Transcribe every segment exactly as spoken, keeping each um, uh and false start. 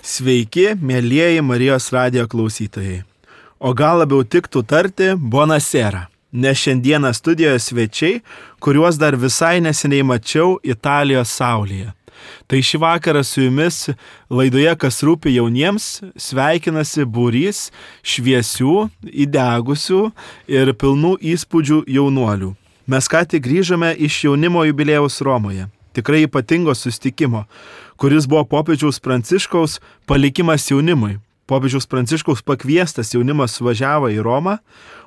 Sveiki, mėlyjeji Marijos radijo klausytojai. O gal labiau tiktų tarti Buonasera, nes šiandieną studijoje svečiai, kuriuos dar visai neseniai mačiau Italijos saulėje. Tai šį vakarą su jumis laidoje Kas rūpi jauniems sveikinasi būrys šviesių, įdegusių ir pilnų įspūdžių jaunuolių. Mes ką tik grįžome iš jaunimo jubiliejaus Romoje. Tikrai ypatingo susitikimo, kuris buvo popiežiaus Pranciškaus palikimas jaunimui. Popiežiaus Pranciškaus pakviestas jaunimas suvažiavo į Romą,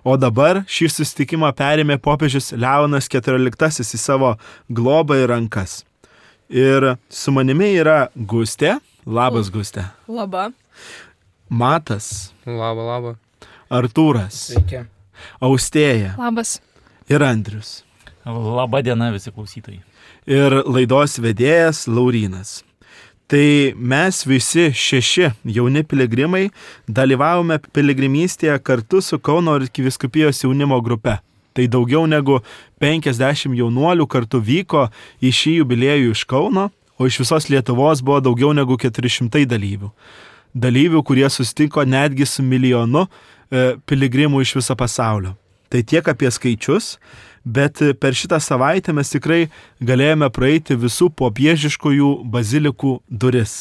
o dabar šį susitikimą perėmė popiežius Leonas keturioliktasis į savo globą ir rankas. Ir su manimi yra Gustė. Labas, Gustė. Labą. Matas. Labą, labą. Artūras. Sveiki. Austėja. Labas. Ir Andrius. Labą dieną visi klausytojai. Ir laidos vedėjas Laurynas. Tai mes visi šeši jauni piligrimai dalyvavome piligrimystėje kartu su Kauno arkivyskupijos jaunimo grupe. Tai daugiau negu penkiasdešimt jaunuolių kartu vyko į šį jubiliejų iš Kauno, o iš visos Lietuvos buvo daugiau negu keturi šimtai dalyvių. Dalyvių, kurie susitiko netgi su milijonu e, piligrimų iš viso pasaulio. Tai tiek apie skaičius, bet per šitą savaitę mes tikrai galėjome praeiti visų popiežiškųjų bazilikų duris.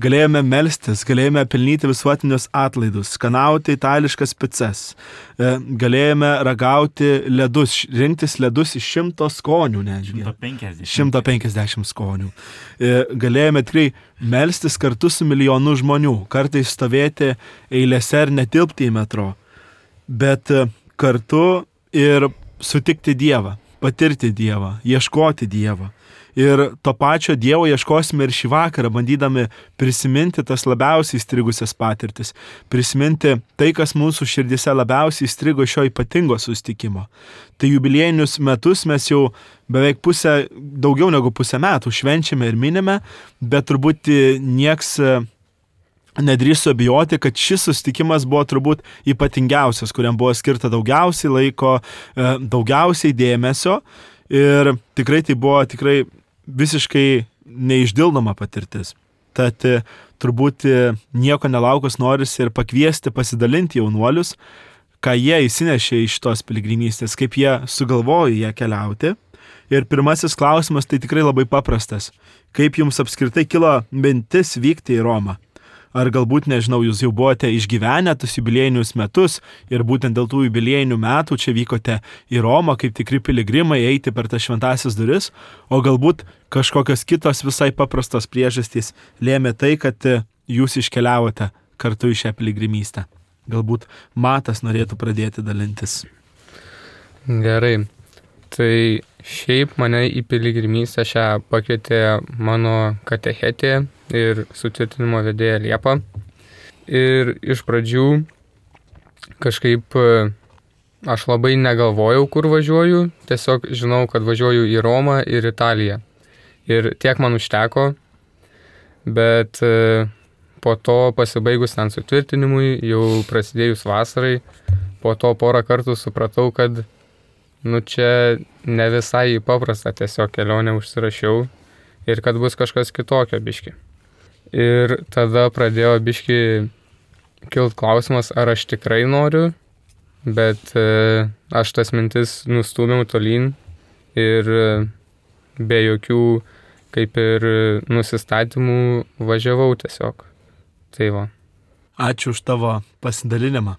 Galėjome melstis, galėjome pelnyti visuotinius atlaidus, skanauti itališkas picas, galėjome ragauti ledus, rinktis ledus iš šimto skonių, netgi. šimto penkiasdešimt skonių. Galėjome tikrai melstis kartu su milijonu žmonių, kartais stovėti eilėse ir netilpti į metro, bet kartu ir sutikti Dievą, patirti Dievą, ieškoti Dievą. Ir to pačio Dievo ieškosime ir šį vakarą, bandydami prisiminti tas labiausiai įstrigusias patirtis, prisiminti tai, kas mūsų širdise labiausiai įstrigo šio ypatingo susitikimo. Tai jubiliejinius metus mes jau beveik pusę, daugiau negu pusę metų švenčiame ir minime, bet turbūt nieks nedrįstu abejoti, kad šis susitikimas buvo turbūt ypatingiausias, kuriam buvo skirta daugiausiai laiko, daugiausiai dėmesio ir tikrai tai buvo tikrai visiškai neišdildoma patirtis. Tad turbūt nieko nelaukus norisi ir pakviesti pasidalinti jaunuolius, ką jie įsinešė iš tos piligrimystės, kaip jie sugalvojo ją keliauti. Ir pirmasis klausimas tai tikrai labai paprastas. Kaip jums apskritai kilo mintis vykti į Romą? Ar galbūt, nežinau, jūs jau buvote išgyvenę tus jubiliejinius metus ir būtent dėl tų jubiliejinių metų čia vykote į Romą kaip tikri piligrimai eiti per tas šventąsias duris, o galbūt kažkokios kitos visai paprastos priežastys lėmė tai, kad jūs iškeliavote kartu į šią piligrimystę. Galbūt Matas norėtų pradėti dalintis. Gerai. Tai šiaip mane į piligrimystę šią pakvietė mano katechetė ir sutvirtinimo vedėja Liepa. Ir iš pradžių kažkaip aš labai negalvojau, kur važiuoju, tiesiog žinau, kad važiuoju į Romą ir Italiją. Ir tiek man užteko, bet po to pasibaigus ten sutvirtinimui, jau prasidėjus vasarai, po to porą kartų supratau, kad nu čia ne visai paprasta, tiesiog kelionę užsirašiau ir kad bus kažkas kitokio biški. Ir tada pradėjo biški kilt klausimas, ar aš tikrai noriu, bet e, aš tas mintis nustūmiau tolyn ir e, be jokių kaip ir nusistatymų važiavau tiesiog. Tai va. Ačiū už tavo pasidalinimą.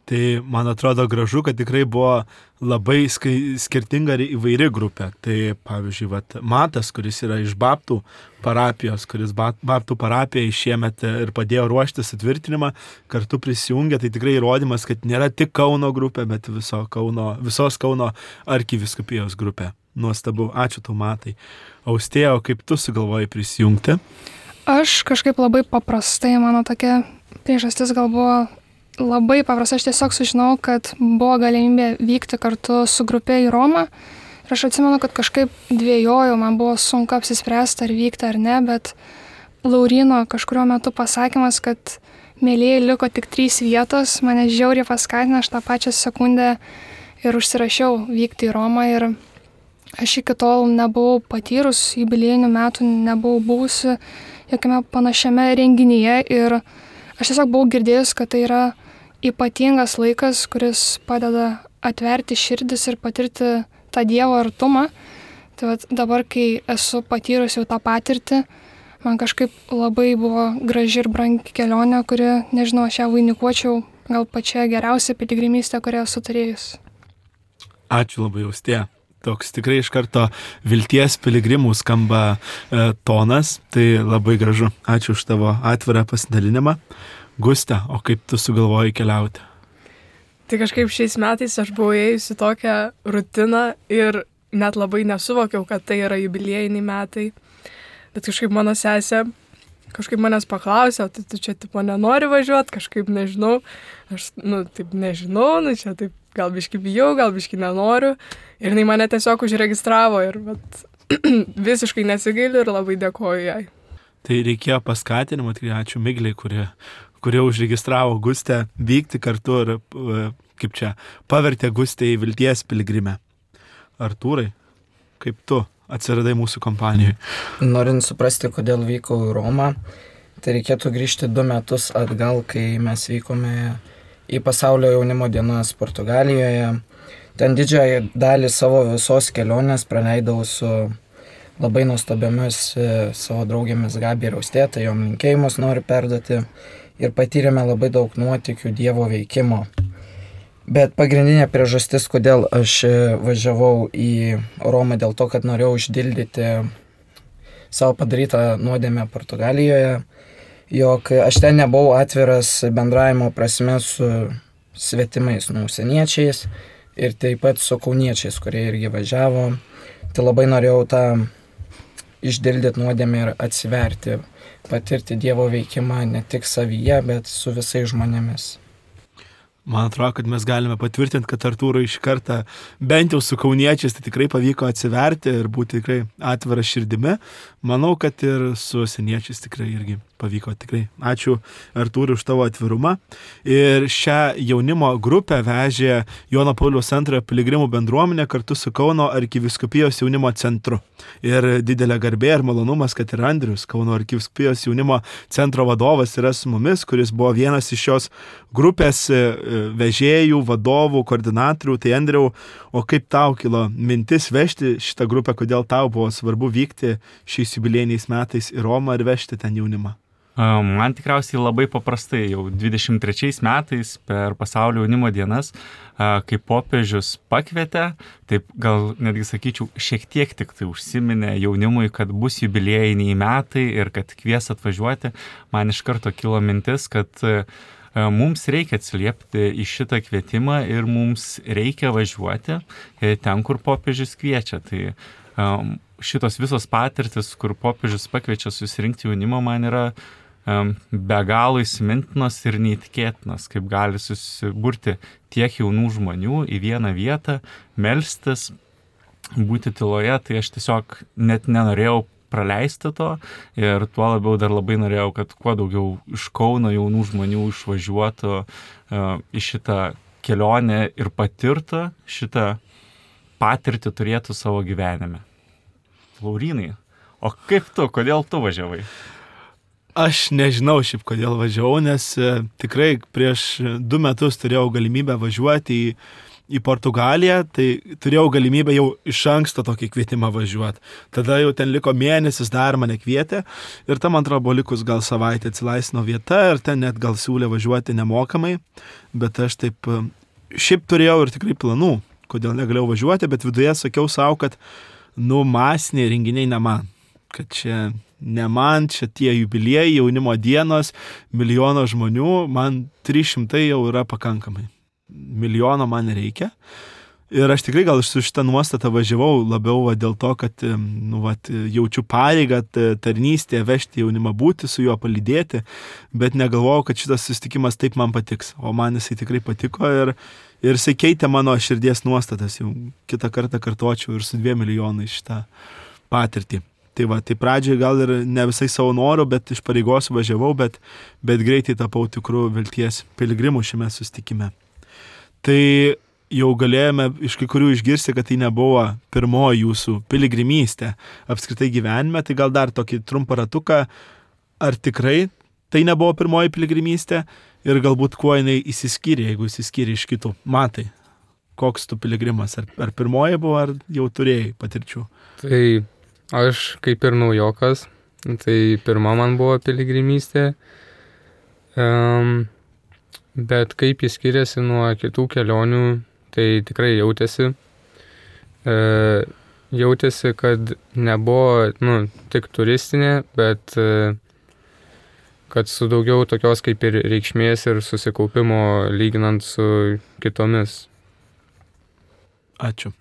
Tai man atrodo gražu, kad tikrai buvo labai skai, skirtinga ir įvairi grupė. Tai pavyzdžiui, vat, Matas, kuris yra iš Baptų parapijos, kuris Baptų parapijai šiemet ir padėjo ruošti sutvirtinimą, kartu prisijungė, tai tikrai įrodymas, kad nėra tik Kauno grupė, bet viso Kauno, visos Kauno arkivyskupijos grupė. Nuostabu, ačiū tau, Matai. Austėja, o kaip tu sugalvojai prisijungti? Aš kažkaip labai paprastai, mano tokia priežastis gal buvo labai paprasta, aš tiesiog sužinau, kad buvo galimybė vykti kartu su grupė į Romą. Ir aš atsimenu, kad kažkaip dvejojau, man buvo sunku apsispręsti, ar vykti ar ne, bet Lauryno kažkurio metu pasakymas, kad mėlyje liko tik trys vietos, mane žiauriai paskatino, aš tą pačią sekundę ir užsirašiau vykti į Romą. Ir aš iki tol nebuvau patyrus, jubiliejinių metų nebuvau buvusi jokiame panašiame renginyje ir aš tiesiog buvau girdėjus, kad tai yra ypatingas laikas, kuris padeda atverti širdis ir patirti tą Dievo artumą. Tai vat, dabar, kai esu patyrus jau tą patirtį, man kažkaip labai buvo graži ir brangi kelionė, kuri, nežinau, aš ją vainikuočiau gal pačia geriausia piligrimystė, kurią esu turėjus. Ačiū labai, Austėja. Toks tikrai iš karto vilties piligrimų skamba e, tonas, tai labai gražu. Ačiū už tavo atvirą pasidalinimą. Gustė, o kaip tu sugalvojai keliauti? Tai kažkaip šiais metais aš buvau ėjusi tokią rutiną ir net labai nesuvokiau, kad tai yra jubiliejiniai metai. Bet kažkaip mano sesė kažkaip manęs paklausė, tai tu čia tipo nenori važiuoti, kažkaip nežinau. Aš, nu, taip nežinau, nu čia taip gal biški bijau, gal biški nenoriu. Ir jinai mane tiesiog užregistravo ir bet, visiškai nesigailiu ir labai dėkoju jai. Tai reikėjo paskatinimo, tikrai ačiū Migliai, kurie, kurie užregistravo Gustę vykti kartu ir, kaip čia, pavertė Gustę į vilties piligrimę. Artūrai, kaip tu atsiradai mūsų kompanijoje? Norint suprasti, kodėl vykau į Romą, tai reikėtų grįžti du metus atgal, kai mes vykome į pasaulio jaunimo dienas Portugalijoje. Ten didžiąją dalį savo visos kelionės praleidau su labai nuostabiomis savo draugėmis Gabi ir Austėja, tai jom linkėjimus noriu perduoti ir patyrėme labai daug nuotykių Dievo veikimo. Bet pagrindinė priežastis, kodėl aš važiavau į Romą, dėl to, kad norėjau uždildyti savo padarytą nuodėmę Portugalijoje, jog aš ten nebuvau atviras bendravimo prasme su svetimais, nu, užsieniečiais ir taip pat su kauniečiais, kurie irgi važiavo. Tai labai norėjau tą išdildyti nuodėmę ir atsiverti, patirti Dievo veikimą ne tik savyje, bet su visais žmonėmis. Man atrodo, kad mes galime patvirtinti, kad Artūrui iš kartą, bent jau su kauniečiais, tai tikrai pavyko atsiverti ir būti tikrai atvira širdimi. Manau, kad ir su seniečiais tikrai irgi pavyko tikrai. Ačiū Artūrui už tavo atvirumą. Ir šią jaunimo grupę vežė Jono Pauliaus antrojo piligrimų bendruomenė kartu su Kauno arkivyskupijos jaunimo centru. Ir didelė garbė ir malonumas, kad ir Andrius, Kauno arkivyskupijos jaunimo centro vadovas, yra su mumis, kuris buvo vienas iš šios grupės vežėjų, vadovų, koordinatorių. Tai Andriau, o kaip tau kilo mintis vežti šitą grupę, kodėl tau buvo svarbu vykti šiais jubiliejiniais metais į Romą ir vežti ten jaunimą? Man tikriausiai labai paprastai, jau dvidešimt trečiais metais per pasaulio jaunimo dienas, kai popiežius pakvietė, taip gal netgi sakyčiau, šiek tiek tik tai užsiminė jaunimui, kad bus jubiliejiniai metai ir kad kvies atvažiuoti, man iš karto kilo mintis, kad mums reikia atsiliepti į šitą kvietimą ir mums reikia važiuoti ten, kur popiežius kviečia. Tai šitos visos patirtis, kur popiežius pakviečia susirinkti jaunimą, man yra be galo įsimintinos ir neįtikėtinos, kaip gali susiburti tiek jaunų žmonių į vieną vietą, melstis, būti tyloje. Tai aš tiesiog net nenorėjau praleisti to ir tuo labiau dar labai norėjau, kad kuo daugiau iš Kauno jaunų žmonių išvažiuotų uh, į šitą kelionę ir patirtų šitą patirtį turėtų savo gyvenime. Laurynai, o kaip tu, kodėl tu važiavai? Aš nežinau šiaip kodėl važiavau, nes e, tikrai prieš du metus turėjau galimybę važiuoti į, į Portugaliją, tai turėjau galimybę jau iš anksto tokį kvietimą važiuoti. Tada jau ten liko mėnesis, dar mane kvietė ir tam, man atrodo, buvo likus gal savaitę atsilaisvino vieta ir ten net gal siūlė važiuoti nemokamai, bet aš taip šiaip turėjau ir tikrai planų, kodėl negalėjau važiuoti, bet viduje sakiau savo, kad nu masiniai renginiai ne man, kad čia ne man, čia tie jubiliejai, jaunimo dienos, milijono žmonių, man trys šimtai jau yra pakankamai. Milijono man nereikia. Ir aš tikrai gal su šitą nuostatą važiavau labiau va, dėl to, kad nu, va, jaučiu pareigą tarnystėje vežti jaunimą, būti su juo, palydėti, bet negalvojau, kad šitas susitikimas taip man patiks. O man jisai tikrai patiko ir, ir jisai keitė mano širdies nuostatas. Jau kitą kartą kartočiau ir su dviem milijonai šitą patirtį. Tai va, tai pradžiai gal ir ne visai savo norų, bet iš pareigos važiavau, bet, bet greitai tapau tikrų vilties piligrimų šiame susitikime. Tai jau galėjome iš kai kurių išgirsti, kad tai nebuvo pirmoji jūsų piligrimystė apskritai gyvenime, tai gal dar tokį trumpą ratuką, ar tikrai tai nebuvo pirmoji piligrimystė ir galbūt kuo jinai įsiskyrė, jeigu įsiskyrė iš kitų. Matai, koks tu piligrimas, ar, ar pirmoji buvo, ar jau turėjai patirčių? Tai aš kaip ir naujokas, tai pirma man buvo piligrimystė, um, bet kaip jis skiriasi nuo kitų kelionių, tai tikrai jautėsi. E, jautėsi, kad nebuvo nu, tik turistinė, bet e, kad su daugiau tokios kaip ir reikšmės ir susikaupimo lyginant su kitomis. Ačiū.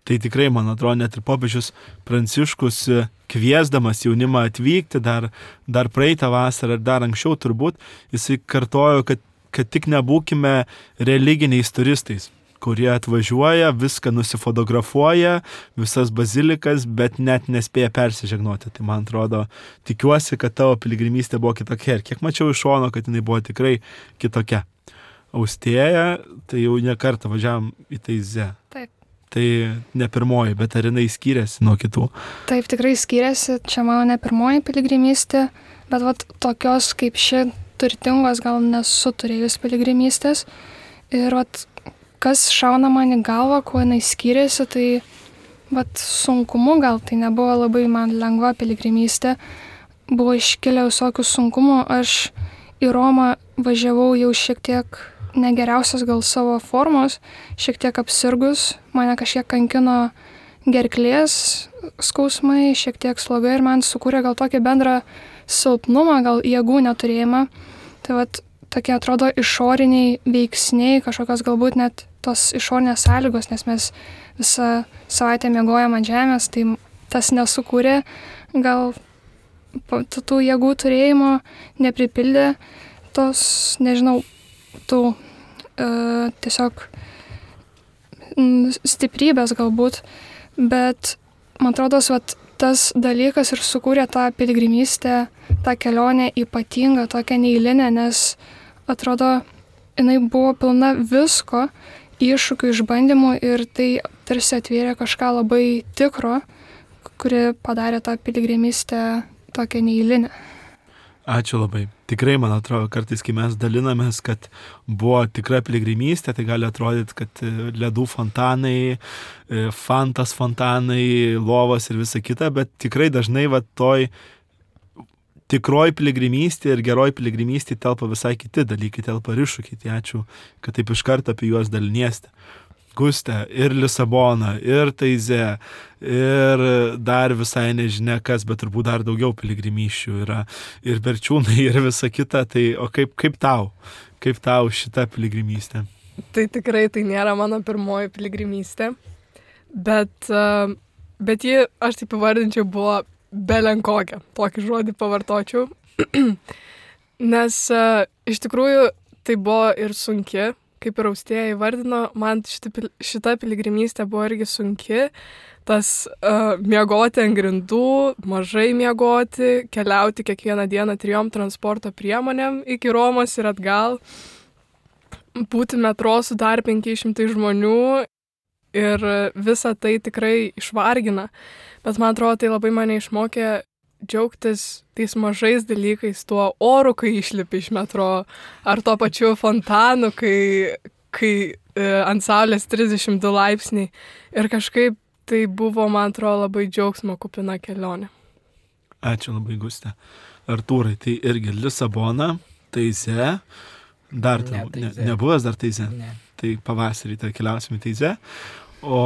Tai tikrai, man atrodo, net ir popiežius Pranciškus kviesdamas jaunimą atvykti dar, dar praeitą vasarą ar dar anksčiau turbūt, jisai kartojo, kad, kad tik nebūkime religiniais turistais, kurie atvažiuoja, viską nusifotografuoja, visas bazilikas, bet net nespėja persižegnoti. Tai man atrodo, tikiuosi, kad tavo piligrimystė buvo kitokia. Ir kiek mačiau iš šono, kad jinai buvo tikrai kitokia. Austėja, tai jau ne kartą važiavam į Taizę. Taip. Tai ne pirmoji, bet ar jinai skiriasi nuo kitų? Taip, tikrai skiriasi. Čia mano ne pirmoji piligrimystė, bet vat, tokios kaip ši turtingos gal nesu turėjus piligrimystės. Ir vat, kas šauna man į galvą, kuo jinai skiriasi, tai vat, sunkumu gal tai nebuvo labai man lengva piligrimystė. Buvo iškilę visokių sunkumų. Aš į Romą važiavau jau šiek tiek negeriausios gal savo formos, šiek tiek apsirgus. Mane kažkiek kankino gerklės skausmai, šiek tiek sloga ir man sukūrė gal tokį bendrą silpnumą, gal jėgų neturėjimą. Tai vat, tokie atrodo išoriniai veiksniai, kažkokios galbūt net tos išorinės sąlygos, nes mes visą savaitę miegojom ant žemės, tai tas nesukūrė, gal tų jėgų turėjimo nepripildė tos, nežinau, tų uh, tiesiog stiprybės galbūt, bet man atrodo, vat, tas dalykas ir sukūrė tą piligrimystę, tą kelionę ypatingą, tokią neeilinę, nes atrodo, jinai buvo pilna visko, iššūkių, išbandymų ir tai tarsi atvėrė kažką labai tikro, kuri padarė tą piligrimystę tokią neeilinę. Ačiū labai. Tikrai, man atrodo, kartais, kai mes dalinamės, kad buvo tikra piligrimystė, tai gali atrodyti, kad ledų fontanai, fantas fontanai, lovos ir visa kita, bet tikrai dažnai va toj tikroji piligrimystė ir geroji piligrimystė telpa visai kiti dalykai, telpa ir iššūkiai. Tai ačiū, kad taip iš karto apie juos dalinieste. Guste, ir Lisabona, ir Taizė, ir dar visai nežinia kas, bet turbūt dar daugiau piligrimysčių yra, ir Berčiūnai, ir visa kita. Tai o kaip, kaip tau? Kaip tau šita piligrimystė? Tai tikrai tai nėra mano pirmoji piligrimystė, bet, bet ji, aš taip įvardinčiau, buvo belenkokia, tokį žodį pavartočiau, nes uh, iš tikrųjų tai buvo ir sunki, kaip ir Austėja įvardino, man šita, šita piligrimystė buvo irgi sunki, tas uh, miegoti ant grindų, mažai miegoti, keliauti kiekvieną dieną trijom transporto priemonėm iki Romos ir atgal, būti metro su dar penkiais šimtais žmonių ir visa tai tikrai išvargina. Bet man atrodo, tai labai mane išmokė džiaugtis tais mažais dalykais, tuo oru, kai išlipi iš metro, ar tuo pačiu fontanu, kai, kai e, ant saulės trisdešimt du laipsniai. Ir kažkaip tai buvo, man atrodo, labai džiaugsmo kupina kelionė. Ačiū labai, Guste. Artūrai, tai irgi Lisabona, Taizė, dar ne, ne, nebuvęs dar Taizė. Ne. Tai pavasarį tai keliausime į Taizę. O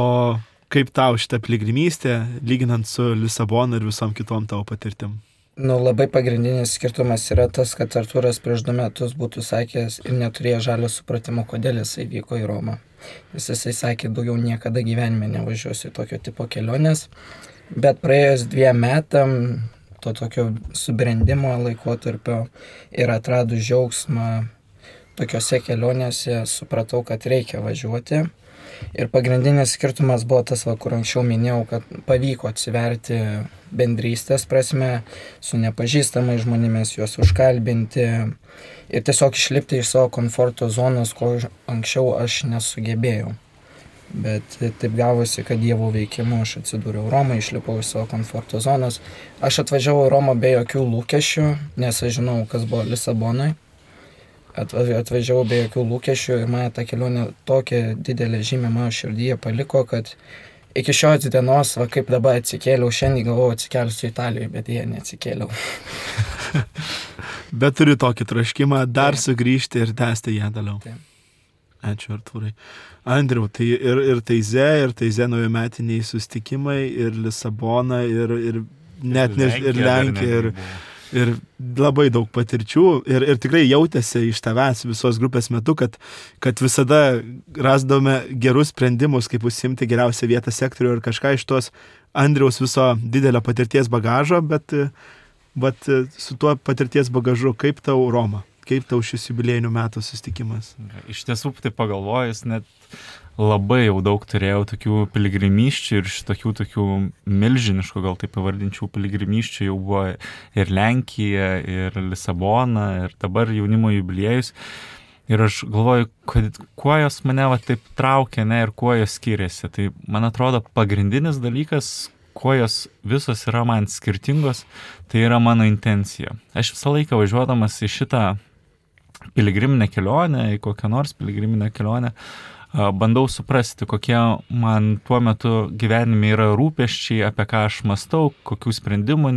kaip tau šitą piligrimystę, lyginant su Lisabona ir visom kitom tavo patirtim? Nu, labai pagrindinis skirtumas yra tas, kad Artūras prieš du metus būtų sakęs ir neturėjo žalio supratimo, kodėl jisai vyko į Romą. Jis jisai sakė, daugiau niekada gyvenime nevažiuosiu į tokio tipo kelionės, bet praėjus dviem metam, to tokio subrendimo laikotarpio ir atradus džiaugsmą tokiose kelionėse, supratau, kad reikia važiuoti. Ir pagrindinis skirtumas buvo tas, va, kur anksčiau minėjau, kad pavyko atsiverti bendrystės prasme, su nepažįstamais žmonėmis, juos užkalbinti ir tiesiog išlipti iš savo komforto zonos, ko anksčiau aš nesugebėjau. Bet taip gavosi, kad Dievo veikimu aš atsidūriau Romą, išlipau iš savo komforto zonos. Aš atvažiavau į Romą be jokių lūkesčių, nes aš žinau, kas buvo Lisabonai. Atvažiavau be jokių lūkesčių ir mane ta kelionė tokia didelė žymė mano širdyje paliko, kad iki šios dienos, va kaip dabar atsikėliau, šiandien galvojau atsikelsiu Italijoje, bet jie neatsikėliau. Bet turiu tokį traškimą dar Taip. sugrįžti ir tęsti ją toliau. Taip. Ačiū, Artūrai. Andriau, tai ir, ir Taize, ir Taize naujametiniai sustikimai, ir Lisabona, ir, ir net ne, ir Lenkija, ir, ir labai daug patirčių. Ir, ir tikrai jautėsi iš tavęs visos grupės metu, kad, kad visada rasdome gerus sprendimus, kaip užsimti geriausią vietą sektorių ir kažką iš tos Andriaus viso didelio patirties bagažo, bet, bet su tuo patirties bagažu, kaip tau Roma? Kaip tau šis jubiliejinių metų susitikimas? Iš tiesų, tai pagalvojus, net labai jau daug turėjau tokių piligrimysčių ir šitokių tokių milžiniškų, gal taip pavardinčių piligrimysčių jau buvo ir Lenkija, ir Lisabona, ir dabar jaunimo jubiliejus. Ir aš galvoju, kad, kuo jos mane va, taip traukia, ne, ir kuo jos skiriasi. Tai, man atrodo, pagrindinis dalykas, kuo jos visos yra man skirtingos, tai yra mano intencija. Aš visą laiką važiuodamas į šitą piligriminę kelionę, į kokią nors piligriminę kelionę, bandau suprasti, kokie man tuo metu gyvenime yra rūpesčiai, apie ką aš mastau, kokių sprendimų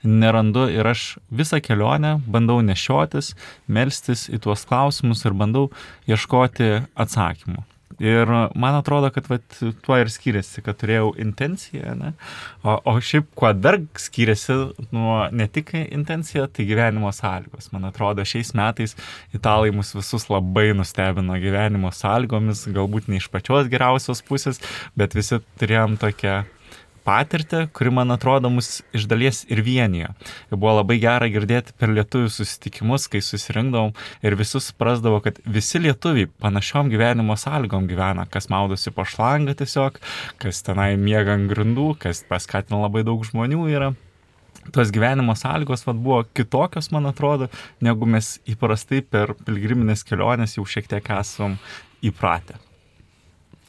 nerandu ir aš visą kelionę bandau nešiotis, melstis į tuos klausimus ir bandau ieškoti atsakymų. Ir man atrodo, kad vat, tuo ir skiriasi, kad turėjau intenciją, ne? O, o šiaip, kuo dar skiriasi nuo ne tik intencija, tai gyvenimo sąlygos. Man atrodo, šiais metais italai mus visus labai nustebino gyvenimo sąlygomis, galbūt ne iš pačios geriausios pusės, bet visi turėjom tokią patirtį, kuri, man atrodo, mus iš dalies ir vienijo. Ir buvo labai gera girdėti per lietuvių susitikimus, kai susirinkdavom ir visus suprasdavo, kad visi lietuviai panašiom gyvenimo sąlygom gyvena, kas maudosi po šlangą tiesiog, kas tenai miega ant grindų, kas paskatina labai daug žmonių yra. Tos gyvenimo sąlygos vat, buvo kitokios, man atrodo, negu mes įprastai per pilgriminės kelionės jau šiek tiek esam įpratę.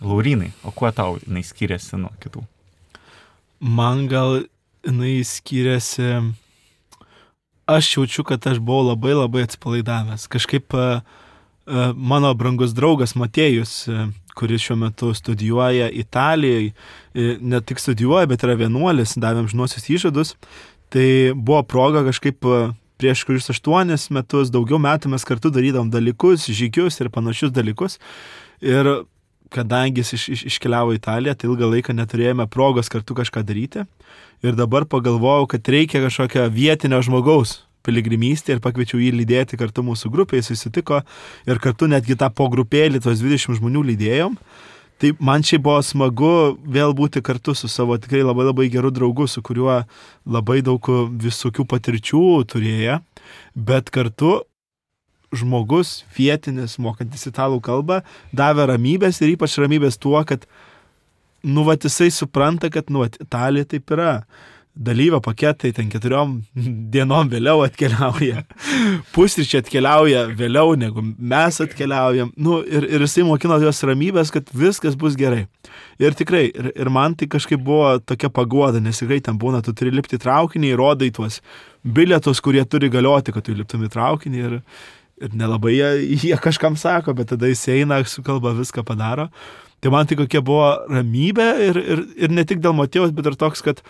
Laurynai, o kuo tau jinai skiriasi nuo kitų? Man gal jinai skiriasi, aš jaučiu, kad aš buvau labai labai atsipalaidavęs. Kažkaip uh, uh, mano brangus draugas Matėjus, uh, kuris šiuo metu studijuoja Italijoje, uh, ne tik studijuoja, bet yra vienuolis, davėm žinosius įžadus, tai buvo proga kažkaip uh, prieš kurius aštuonis metus, daugiau metų mes kartu darydavom dalykus, žygius ir panašius dalykus. Ir kadangi jis iš, iš, iškeliavo į Italiją, tai ilgą laiką neturėjome progos kartu kažką daryti. Ir dabar pagalvojau, kad reikia kažkokio vietinio žmogaus piligrimystė ir pakviečiau jį lydėti kartu mūsų grupėje, jis susitiko ir kartu netgi tą po grupėlį, tos dvidešimt žmonių lydėjom. Tai man šiaip buvo smagu vėl būti kartu su savo tikrai labai labai geru draugu, su kuriuo labai daug visokių patirčių turėjo, bet kartu žmogus vietinis, mokantis italų kalbą, davė ramybės ir ypač ramybės tuo, kad nu, vat, jisai supranta, kad nu, vat, Italija taip yra. Dalyvio paketai ten keturiom dienom vėliau atkeliauja. Pusryčiai atkeliauja vėliau, negu mes atkeliaujam. Nu, ir, ir jisai mokino jos ramybės, kad viskas bus gerai. Ir tikrai, ir, ir man tai kažkaip buvo tokia paguoda, nes tikrai ten būna, tu turi lipti į traukinį, rodai tuos bilietus, kurie turi galioti, kad tu liptum į traukinį ir Ir nelabai jie, jie kažkam sako, bet tada jis eina, su kalba viską padaro. Tai man tai kokia buvo ramybė ir, ir, ir ne tik dėl Matėjaus, bet ir toks, kad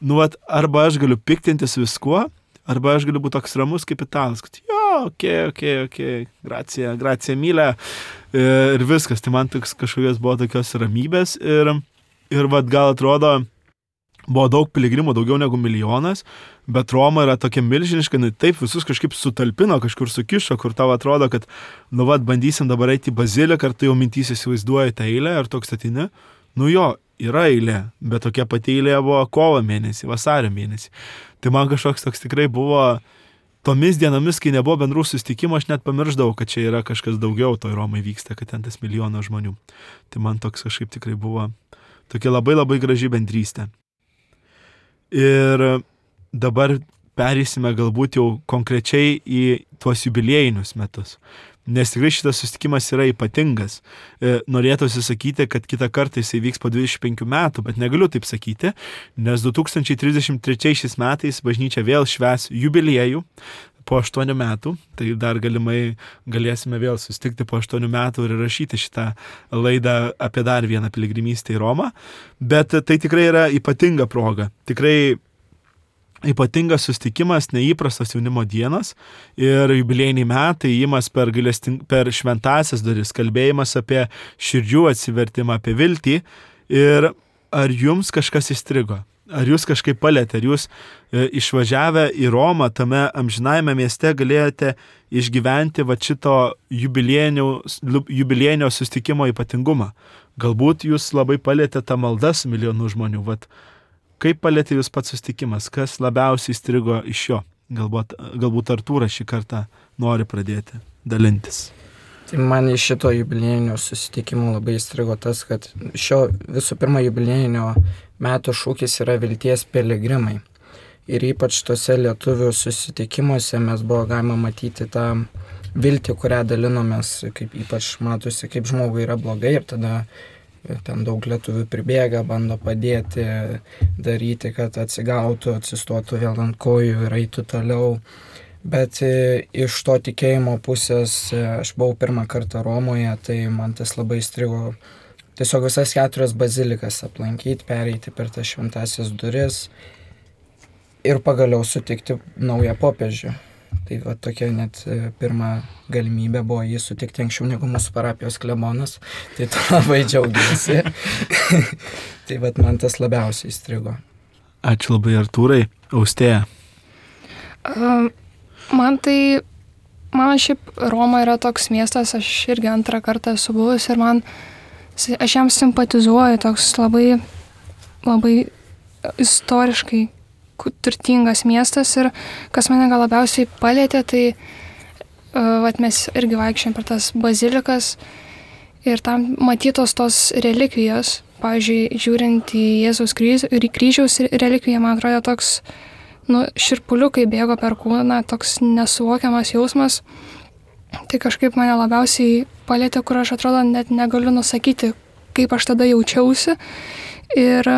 nu, vat, arba aš galiu piktintis viskuo, arba aš galiu būti toks ramus kaip italas, kad jo, okei, okay, okei, okay, okei, okay, gracija, gracija, mylė ir viskas. Tai man toks kažkokios buvo tokios ramybės ir, ir vat, gal atrodo, buvo daug piligrimų, daugiau negu milijonas, bet Roma yra tokia milžiniška, nu, taip visus kažkaip sutalpino, kažkur sukišo, kur tau atrodo, kad, nu, vat, bandysim dabar eiti į baziliką, ar tu jau mintys įsivaizduoji tą eilę, ar toks statini. Nu jo, yra eilė, bet tokia pati eilė buvo kovo mėnesį, vasario mėnesį. Tai man kažkoks toks tikrai buvo, tomis dienomis, kai nebuvo bendrų susitikimų, aš net pamirždavau, kad čia yra kažkas daugiau toj Romai vyksta, kad ten tas milijonas žmonių. Tai man toks kažkaip tikrai buvo tokia labai labai graži bendrystė. Ir dabar perėsime galbūt jau konkrečiai į tuos jubiliejinius metus. Nes tikrai šitas susitikimas yra ypatingas. Norėtųsi sakyti, kad kitą kartą jisai vyks po dvidešimt penkių metų, bet negaliu taip sakyti, nes du tūkstančiai trisdešimt trečiais metais bažnyčia vėl švęs jubiliejų po aštuonių metų, tai dar galimai galėsime vėl susitikti po aštuonių metų ir rašyti šitą laidą apie dar vieną piligrimystę į Romą, bet tai tikrai yra ypatinga proga. Tikrai ypatingas susitikimas, neįprastas jaunimo dienos ir jubiliejiniai metai, įjimas per, gailesting... per šventąsias duris, kalbėjimas apie širdžių atsivertimą, apie viltį. Ir ar jums kažkas įstrigo? Ar jūs kažkaip palėtė? Ar jūs e, išvažiavę į Romą tame amžinajame mieste galėjote išgyventi va šito jubiliejinio susitikimo ypatingumą? Galbūt jūs labai palėtė tą maldą su milijonų žmonių. Vat, kaip palėtė jūs pats susitikimas? Kas labiausiai įstrigo iš jo? Galbūt, galbūt Artūras šį kartą nori pradėti dalintis. Tai man iš šito jubiliejinio susitikimo labai įstrigo tas, kad šio visų pirma jubiliejinio metų šūkis yra vilties piligrimai. Ir ypač tose lietuvių susitikimuose mes buvo galima matyti tą viltį, kurią dalinomės, kaip ypač matosi, kaip žmogui yra blogai ir tada ten daug lietuvių pribėga, bando padėti, daryti, kad atsigautų, atsistotų vėl ant kojų ir eitų toliau. Bet iš to tikėjimo pusės, aš buvau pirmą kartą Romoje, tai man tas labai įstrigo tiesiog visas keturias bazilikas aplankyti, pereiti per tas šventąsias duris ir pagaliau sutikti naują popiežių. Tai va, tokia net pirma galimybė buvo jį sutikti anksčiau negu mūsų parapijos klebonas, tai to labai džiaugiuosi. Tai va, man tas labiausiai įstrigo. Ačiū labai, Artūrai. Austėja. Um. Man tai, man šiaip Roma yra toks miestas, aš irgi antrą kartą esu buvus ir man, aš jam simpatizuoju, toks labai, labai istoriškai turtingas miestas ir kas mane gal labiausiai palėtė, tai vat, mes irgi vaikščiojom per tas bazilikas ir tam matytos tos relikvijos, pavyzdžiui, žiūrint į Jėzaus kryžiaus relikviją, man atrodo toks, nu, širpuliukai bėgo per kūną, toks nesuvokiamas jausmas. Tai kažkaip mane labiausiai palėtė, kur aš atrodo net negaliu nusakyti, kaip aš tada jaučiausi. Ir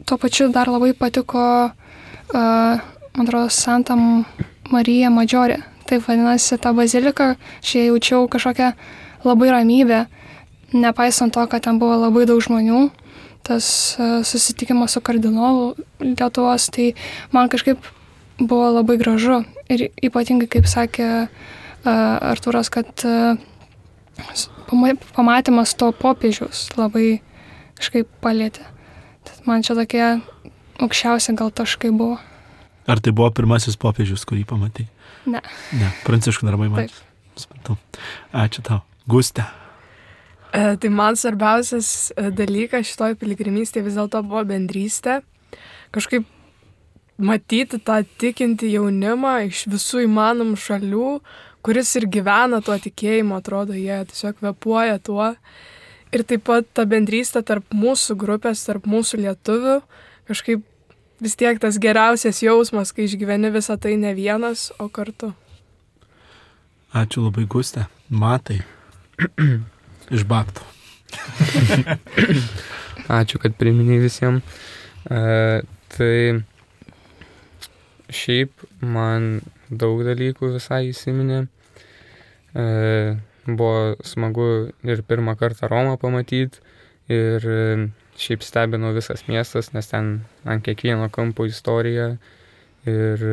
tuo pačiu dar labai patiko, uh, man atrodo, Santa Marija Maggiore. Taip vadinasi ta bazilika, aš jaučiau kažkokią labai ramybę, nepaisant to, kad ten buvo labai daug žmonių. Tas susitikimas su kardinolu Lietuvos, tai man kažkaip buvo labai gražu. Ir ypatingai, kaip sakė Artūras, kad pamatymas to popiežiaus labai kažkaip palėtė. Tad man čia tokie aukščiausi gal taškai buvo. Ar tai buvo pirmasis popiežius, kurį pamatei? Ne. Ne, Pranciškų darbai matė. Ačiū tau. Gustė. Tai man svarbiausias dalykas šitoj piligrimystėje vis dėlto buvo bendrystė. Kažkaip matyti tą tikintį jaunimą iš visų įmanomų šalių, kuris ir gyvena tuo tikėjimu, atrodo, jie tiesiog kvėpuoja tuo. Ir taip pat ta bendrystė tarp mūsų grupės, tarp mūsų lietuvių, kažkaip vis tiek tas geriausias jausmas, kai išgyveni visą tai ne vienas, o kartu. Ačiū labai, Gustė. Matai. Iš Baptų. Ačiū, kad priminėjai visiems. E, tai šiaip man daug dalykų visai įsiminė. E, buvo smagu ir pirmą kartą Romą pamatyti ir šiaip stebino visas miestas, nes ten ant kiekvieno kampo istorija ir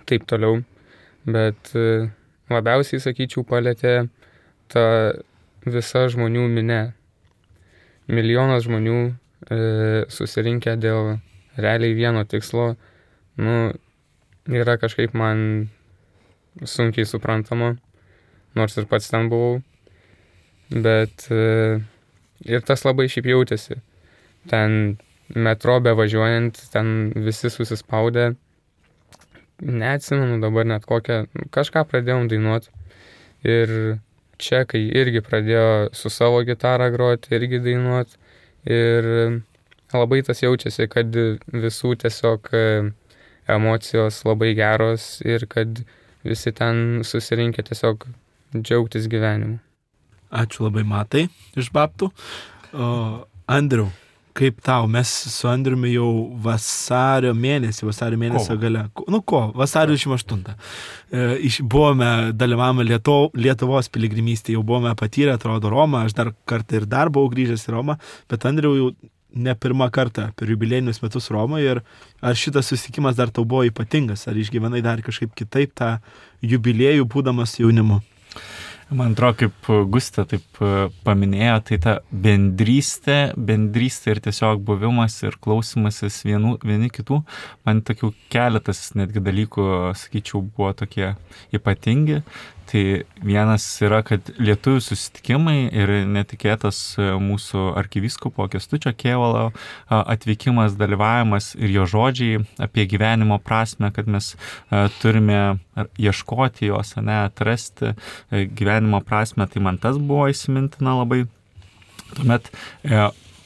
taip toliau. Bet labiausiai, sakyčiau, palėtė ta visa žmonių minė. Milijonas žmonių e, susirinkę dėl realiai vieno tikslo, nu, yra kažkaip man sunkiai suprantama, nors ir pats ten buvau. Bet e, ir tas labai šiaip jautėsi. Ten metro bevažiuojant, ten visi susispaudę. Neatsimenu dabar net kokią, kažką pradėjom dainuoti. Ir čekai irgi pradėjo su savo gitarą groti, irgi dainuoti. Ir labai tas jaučiasi, kad visų tiesiog emocijos labai geros ir kad visi ten susirinkę tiesiog džiaugtis gyvenimu. Ačiū labai, Matai, iš Baptų. O, Andriau, kaip tau? Mes su Andriumi jau vasario mėnesį, vasario mėnesio Kovo. gale, nu ko, vasario dvidešimt aštuntą. E, iš, buvome, dalyvavome Lieto, Lietuvos piligrimystėje, jau buvome patyrę, atrodo, Romą, aš dar kartą ir dar buvau grįžęs į Romą, bet Andriau jau ne pirmą kartą per jubiliejinius metus Romoje ir ar šitas susitikimas dar tau buvo ypatingas, ar išgyvenai dar kažkaip kitaip tą jubiliejų būdamas jaunimu? Man atrodo, kaip Gustė taip paminėjo, tai ta bendrystė, bendrystė ir tiesiog buvimas ir klausimasis vienų, vieni kitų, man tokių keletas netgi dalykų, sakyčiau, buvo tokie ypatingi. Tai vienas yra, kad lietuvių susitikimai ir netikėtas mūsų arkivyskupo Kęstučio Kėvalo atvykimas, dalyvavimas ir jo žodžiai apie gyvenimo prasme, kad mes turime ieškoti jos, ne, atrasti gyvenimo prasme, tai man tas buvo įsimintina labai. Tuomet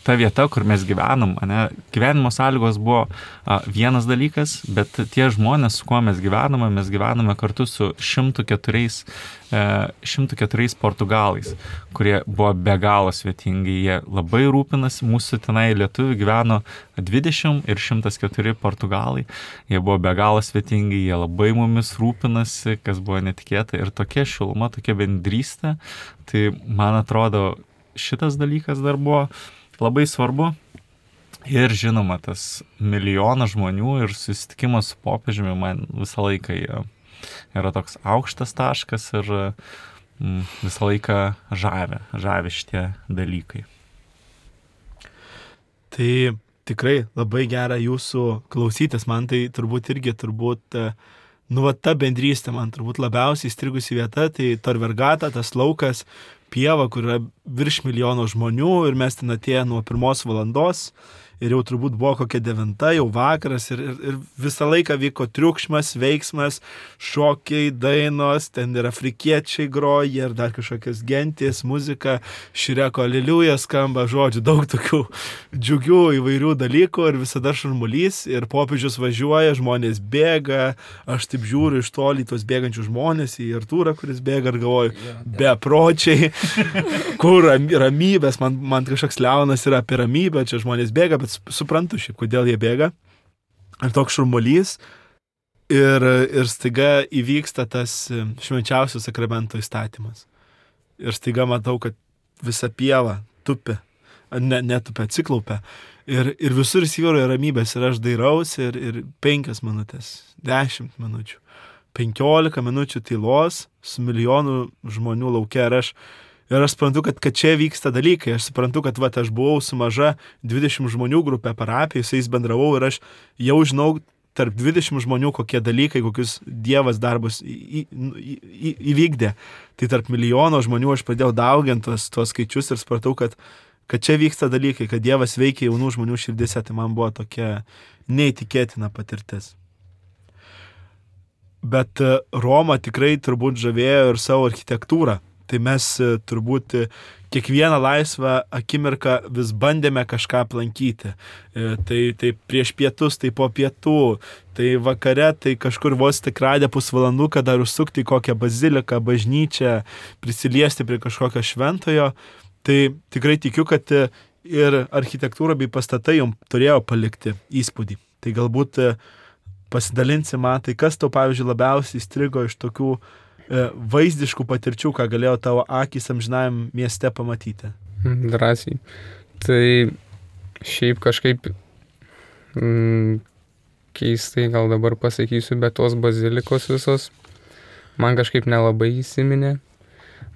ta vieta, kur mes gyvenom, ne, gyvenimo sąlygos buvo a, vienas dalykas, bet tie žmonės, su kuo mes gyvename, mes gyvename kartu su šimtu keturiais, e, šimtu keturiais portugalais, kurie buvo be galo svetingi, jie labai rūpinasi, mūsų tenai lietuvių gyveno dvidešimt ir šimtas keturi portugalai, jie buvo be galo svetingi, jie labai mumis rūpinasi, kas buvo netikėta ir tokia šiluma, tokia bendrystė, tai man atrodo šitas dalykas dar buvo labai svarbu ir žinoma tas milijonas žmonių ir susitikimas su popiežiumi man visą laiką yra toks aukštas taškas ir visą laiką žavi, žavi šitie dalykai. Tai tikrai labai gera jūsų klausytis, man tai turbūt irgi turbūt, nu va ta bendrystė man turbūt labiausiai įstrigusi vieta, tai Tor-Vergata, tas laukas, pieva, kur yra virš milijono žmonių ir mes ten atėję nuo pirmos valandos ir jau turbūt buvo kokia devinta, jau vakaras ir, ir, ir visą laiką vyko triukšmas, veiksmas, šokiai, dainos, ten ir afrikiečiai groja ir dar kažkokios gentys, muzika, Šireko aleliuja skamba, žodžiu, daug tokių džiugių įvairių dalykų ir visada šurmulys ir popiežius važiuoja, žmonės bėga, aš taip žiūriu iš toli tos bėgančių žmonės į Artūrą, kuris bėga ir galvoju, bepročiai, kur ramybės, man, man kažkoks liaunas yra apie ramybę, čia žmonės bėga, bet suprantu šiaip, kodėl jie bėga. Ir toks šurmulys. Ir, ir staiga įvyksta tas švenčiausio sakramento įstatymas. Ir staiga matau, kad visa pieva tupi, ne, netupia, atsiklaupia. Ir, ir visur įsivyruoja ramybės. Ir aš dairaus ir, ir penkias minutės, dešimt minučių, penkiolika minučių tylos su milijonu žmonių laukia. Ir aš Ir aš suprantu, kad, kad čia vyksta dalykai. Aš suprantu, kad va, aš buvau su maža dvidešimt žmonių grupė parapijai, su jais bendravau ir aš jau žinau tarp dvidešimt žmonių, kokie dalykai, kokius Dievas darbus į, į, į, įvykdė. Tai tarp milijono žmonių aš pradėjau dauginti tuos, tuos skaičius ir supratau, kad, kad čia vyksta dalykai, kad Dievas veikia jaunų žmonių širdise. Tai man buvo tokia neįtikėtina patirtis. Bet Roma tikrai turbūt žavėjo ir savo architektūrą. Tai mes turbūt kiekvieną laisvą akimirką vis bandėme kažką aplankyti. Tai, tai prieš pietus, tai po pietų, tai vakare, tai kažkur vos tik radę pusvalanduką dar užsukti į kokią baziliką, bažnyčią, prisiliesti prie kažkokio šventojo. Tai tikrai tikiu, kad ir architektūra bei pastatai jums turėjo palikti įspūdį. Tai galbūt pasidalinsi man, tai kas tau, pavyzdžiui, labiausiai įstrigo iš tokių vaizdiškų patirčių, ką galėjo tavo akys amžinajam mieste pamatyti? Drąsiai. Tai šiaip kažkaip mm, keistai gal dabar pasakysiu, bet tos bazilikos visos man kažkaip nelabai įsiminė.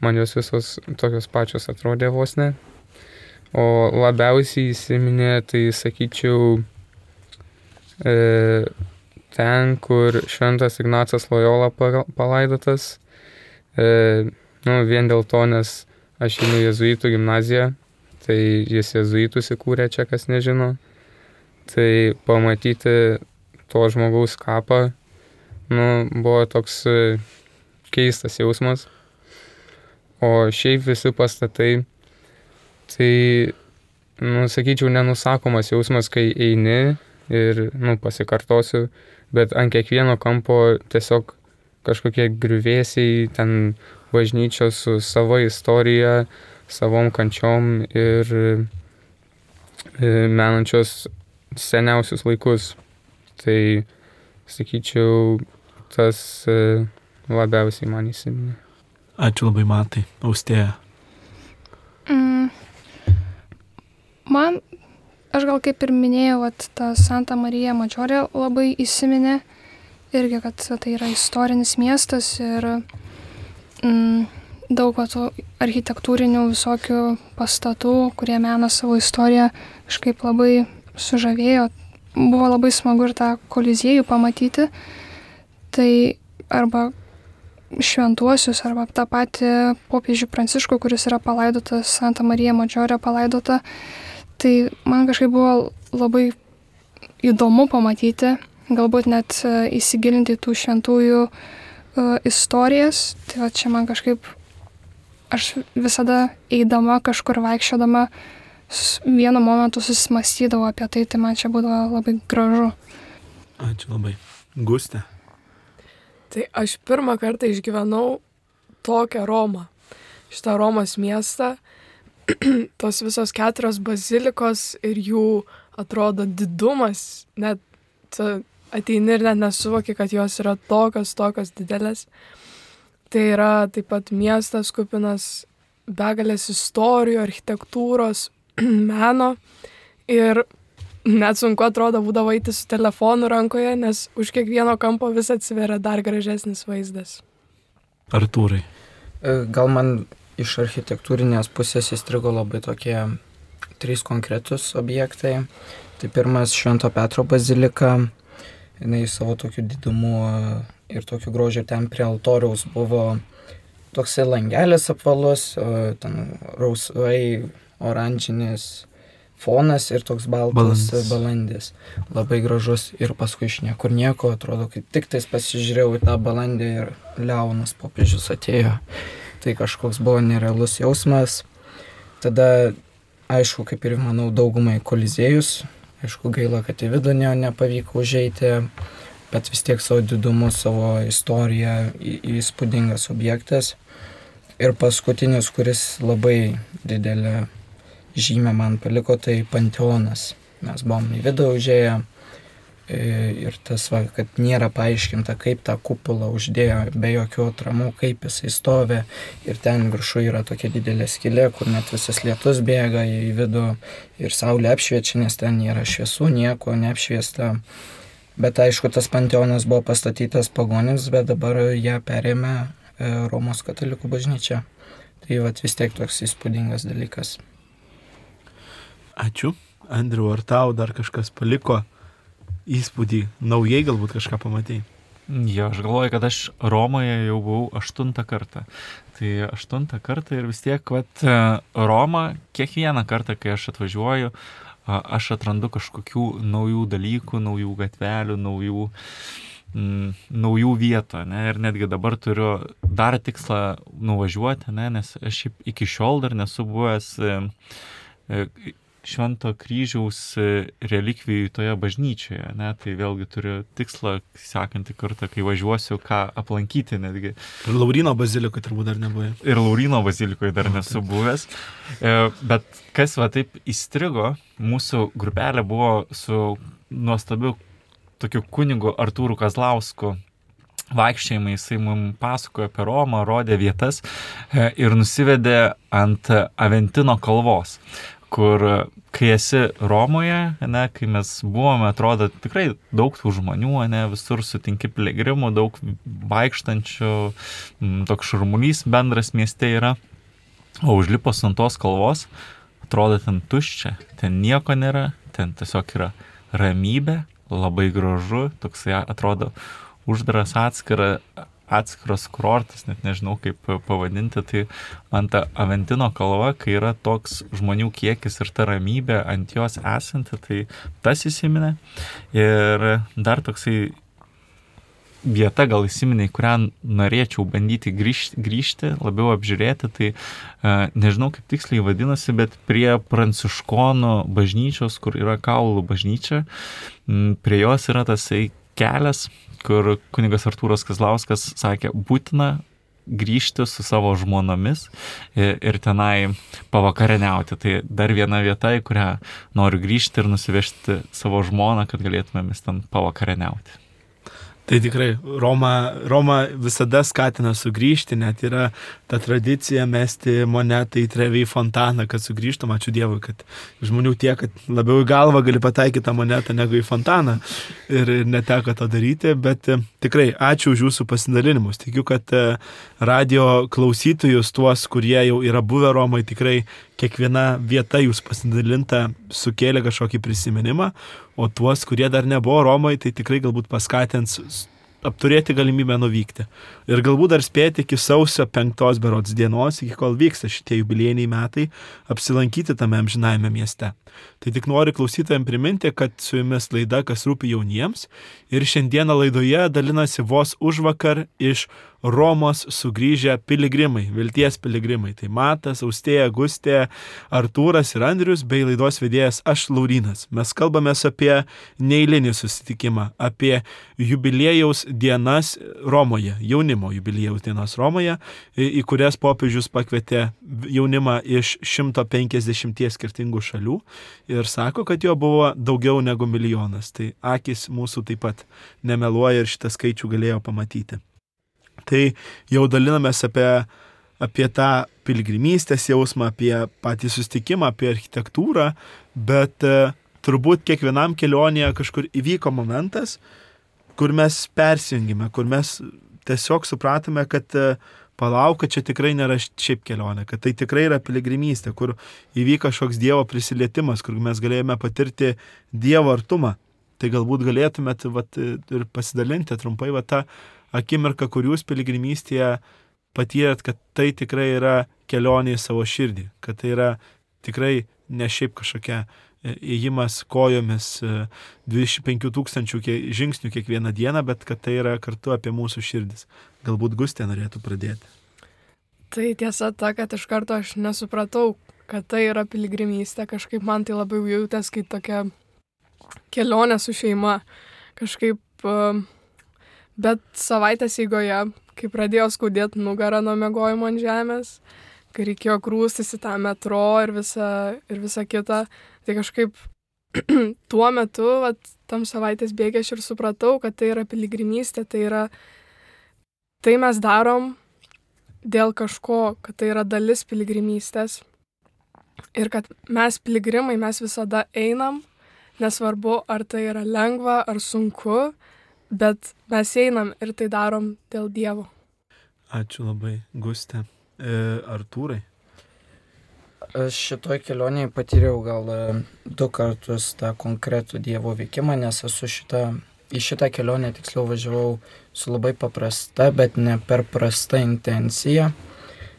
Man jos visos tokios pačios atrodė vos ne. O labiausiai įsiminė, tai sakyčiau, e, ten, kur Šventas Ignacas Lojola palaidotas, e, nu, vien dėl to, nes aš einu jėzuitų gimnaziją, tai jis jėzuitus įkūrė čia, kas nežino, tai pamatyti to žmogaus kapą, nu, buvo toks keistas jausmas. O šiaip visi pastatai, tai, nu, sakyčiau, nenusakomas jausmas, kai eini ir, nu, pasikartosiu, bet ant kiekvieno kampo tiesiog kažkokie griuvėsiai, ten bažnyčios su savo istorija, savom kančiom ir menančios seniausius laikus. Tai, sakyčiau, tas labiausiai man įsiminė. Ačiū labai, Matai. Austėja. Mm. Man, aš gal kaip ir minėjau, at ta Santa Marija Maggiore labai įsiminė. Irgi, kad tai yra istorinis miestas ir mm, daug tų architektūrinių visokių pastatų, kurie mena savo istoriją, kažkaip labai sužavėjo. Buvo labai smagu ir tą koliziejų pamatyti. Tai arba šventuosius, arba tą patį popiežių Pranciškų, kuris yra palaidotas, Santa Marija Maggiore palaidota. Tai man kažkaip buvo labai įdomu pamatyti, galbūt net įsigilinti tų šventųjų uh, istorijas. Tai va čia man kažkaip, aš visada eidama kažkur vaikščiodama, vienu momentu susimastydavau apie tai, tai man čia būdavo labai gražu. Ačiū labai. Gustė. Tai aš pirmą kartą išgyvenau tokią Romą. Šitą Romos miestą, tos visos keturios bazilikos ir jų atrodo didumas, net ateini ir net nesuvoki, kad jos yra tokios, tokios didelės. Tai yra taip pat miestas kupinas begalės istorijų, architektūros, meno ir net sunku atrodo būdavo eiti su telefonu rankoje, nes už kiekvieno kampo vis atsiveria dar gražesnis vaizdas. Artūrai. Gal man iš architektūrinės pusės įstrigo labai tokie trys konkretus objektai. Tai pirmas Švento Petro bazilika, jinai savo tokiu didumu ir tokiu grožiu ten prie altoriaus buvo toksai langelis apvalus, ten rausvai oranžinis fonas ir toks baltas balandis. balandis. Labai gražus ir paskui iš niekur nieko, atrodo, kai tik tais pasižiūrėjau į tą balandį ir Leonas popiežius atėjo. Tai kažkoks buvo nerealus jausmas. Tada, aišku, kaip ir manau, daugumai koliziejus. Aišku, gaila, kad į vidų ne, nepavyko užeiti, bet vis tiek savo didumu, savo istoriją į, įspūdingas objektas. Ir paskutinis, kuris labai didelę žymę man paliko, tai Panteonas. Mes buvom į vidų užėję ir tas, va, kad nėra paaiškinta, kaip tą kupolą uždėjo be jokių atramų, kaip jisai stovi. Ir ten viršų yra tokia didelė skylė, kur net visas lietus bėga į vidų ir saulė apšviečia, nes ten nėra šviesų, nieko neapšviesta. Bet aišku, tas Panteonas buvo pastatytas pagonims, bet dabar ją perėmė Romos katalikų bažnyčia. Tai vat vis tiek toks įspūdingas dalykas. Ačiū. Andriu, ar tau dar kažkas paliko įspūdį? Naujai galbūt kažką pamatei? Jo, aš galvoju, kad aš Romoje jau buvau aštuntą kartą. Tai aštuntą kartą ir vis tiek, vat, Roma, kiekvieną kartą, kai aš atvažiuoju, aš atrandu kažkokių naujų dalykų, naujų gatvelių, naujų, mm, naujų vietų, ne? Ir netgi dabar turiu dar tikslą nuvažiuoti, ne? Nes aš iki šiol dar nesu buvęs e, e, Švento kryžiaus relikvijų toje bažnyčioje, ne? Tai vėlgi turiu tikslą sekantį kartą, kai važiuosiu, ką aplankyti netgi. Ir Lauryno bazilikoje turbūt dar nebuvai. Ir Lauryno bazilikoje dar nesu buvęs. Bet kas va taip įstrigo, mūsų grupelė buvo su nuostabiu tokiu kunigu Artūru Kazlausku. Vaikščiojimai, jisai mums pasakojo apie Romą, rodė vietas ir nusivedė ant Aventino kalvos, kur kai esi Romoje, ne, kai mes buvome, atrodo tikrai daug tų žmonių, ne, visur sutinki piligrimų, daug vaikštančių, toks šurmulys bendras mieste yra, o užlipus ant tos kalvos, atrodo ten tuščia, ten nieko nėra, ten tiesiog yra ramybė, labai gražu, toksai atrodo uždaras atskira atskiras kurortas, net nežinau kaip pavadinti, tai ant Aventino kalva, kai yra toks žmonių kiekis ir ta ramybė ant jos esanti, tai tas įsiminė. Ir dar toksai vieta gal įsiminė, kurią norėčiau bandyti grįžti, grįžti labiau apžiūrėti, tai nežinau kaip tiksliai vadinasi, bet prie Pranciškonų bažnyčios, kur yra Kaulų bažnyčia, prie jos yra tasai kelias, kur kunigas Artūras Kazlauskas sakė, būtina grįžti su savo žmonomis ir, ir tenai pavakarieniauti. Tai dar viena vieta, į kurią noriu grįžti ir nusivežti savo žmoną, kad galėtumėmis ten pavakarieniauti. Tai tikrai, Roma, Roma visada skatina sugrįžti, net yra ta tradicija mesti monetą į Trevi fontaną, kad sugrįžtum, ačiū Dievui, kad žmonių tiek, kad labiau į galvą gali pataikyti tą monetą negu į fontaną ir, ir neteko to daryti, bet tikrai ačiū už jūsų pasidalinimus. Tikiu, kad radio klausytojus, tuos, kurie jau yra buvę Romai, tikrai kiekviena vieta jūs pasidalinta sukėlė kažkokį prisiminimą, o tuos, kurie dar nebuvo Romai, tai tikrai galbūt paskatins apturėti galimybę nuvykti. Ir galbūt dar spėti iki sausio penktos berods dienos, iki kol vyksta šitie jubiliejiniai metai, apsilankyti tame amžinajame mieste. Tai tik noriu klausytojams priminti, kad su jumis laida Kas rūpi jauniems ir šiandieną laidoje dalinasi vos užvakar iš Romos sugrįžę piligrimai, vilties piligrimai. Tai Matas, Austėja, Gustė, Artūras ir Andrius bei laidos vedėjas aš Laurynas. Mes kalbamės apie neeilinį susitikimą, apie jubiliejaus dienas Romoje, jaunimo jubiliejaus dienas Romoje, į, į kurias popiežius pakvietė jaunimą iš šimto penkiasdešimties skirtingų šalių ir sako, kad jo buvo daugiau negu milijonas. Tai akis mūsų taip pat nemeluoja ir šitą skaičių galėjo pamatyti. Tai jau dalinamės apie, apie tą piligrimystės jausmą, apie patį susitikimą, apie architektūrą, bet e, turbūt kiekvienam kelionėje kažkur įvyko momentas, kur mes persijungime, kur mes tiesiog supratome, kad e, palauk, kad čia tikrai nėra šiaip kelionė, kad tai tikrai yra piligrimystė, kur įvyko kažkoks Dievo prisilietimas, kur mes galėjome patirti Dievo artumą. Tai galbūt galėtumėt vat, ir pasidalinti trumpai vat, tą akimirką, kur jūs piligrimystėje patyrėt, kad tai tikrai yra kelionė į savo širdį, kad tai yra tikrai ne šiaip kažkokia ėjimas kojomis dvidešimt penkių tūkstančių žingsnių kiekvieną dieną, bet kad tai yra kartu apie mūsų širdis. Galbūt Gustė norėtų pradėti. Tai tiesa ta, kad iš karto aš nesupratau, kad tai yra piligrimystė. Kažkaip man tai labiau jautės kaip tokia kelionė su šeima. Kažkaip... Uh, Bet savaitės eigoje, kai pradėjo skaudėti nugarą nuo miegojimo ant žemės, kai reikėjo grūstis į tą metro ir visą, ir visą kitą, tai kažkaip tuo metu, vat, tam savaitės bėgė aš ir supratau, kad tai yra piligrimystė, tai yra, tai mes darom dėl kažko, kad tai yra dalis piligrimystės ir kad mes piligrimai, mes visada einam, nesvarbu, ar tai yra lengva, ar sunku, bet mes einam ir tai darom dėl Dievo. Ačiū labai, Gustė. E, Artūrai? Aš šitoj kelionėje patyriau gal du kartus tą konkretų Dievo veikimą, nes esu šitą, į šitą kelionę tiksliau važiavau su labai paprasta, bet ne per prasta intencija.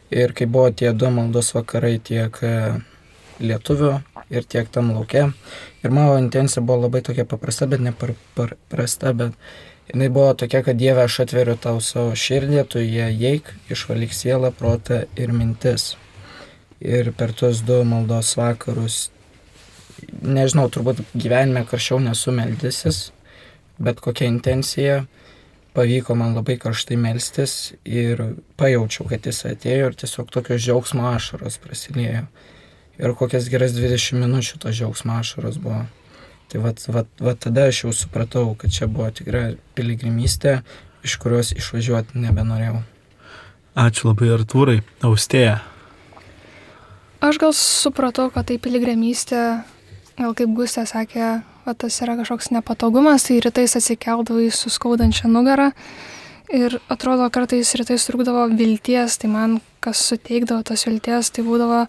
Ir kai buvo tie du maldos vakarai tiek lietuvių ir tiek tam lauke. Ir mano intencija buvo labai tokia paprasta, bet ne per, per prasta, bet jinai buvo tokia, kad Dieve, aš atveriu tau savo širdį, tu ją įeik, išvalyk sielą, protą ir mintis. Ir per tuos du maldos vakarus, nežinau, turbūt gyvenime karščiau nesu meldysis, bet kokia intencija, pavyko man labai karštai melstis ir pajaučiau, kad jis atėjo ir tiesiog tokios džiaugsmo ašaros prasilėjo. Ir kokias geras dvidešimt minučių tos džiaugsmo ašaros buvo. Tai vat, vat, vat tada aš jau supratau, kad čia buvo tikra piligrimystė, iš kurios išvažiuoti nebenorėjau. Ačiū labai, Artūrai. Austėja. Aš gal supratau, kad tai piligrimystė, gal kaip Gustė sakė, va, tas yra kažkoks nepatogumas, tai rytais atsikeldavai su skaudančia nugarą ir atrodo kartais rytais trūkdavo vilties, tai man kas suteikdavo tos vilties, tai būdavo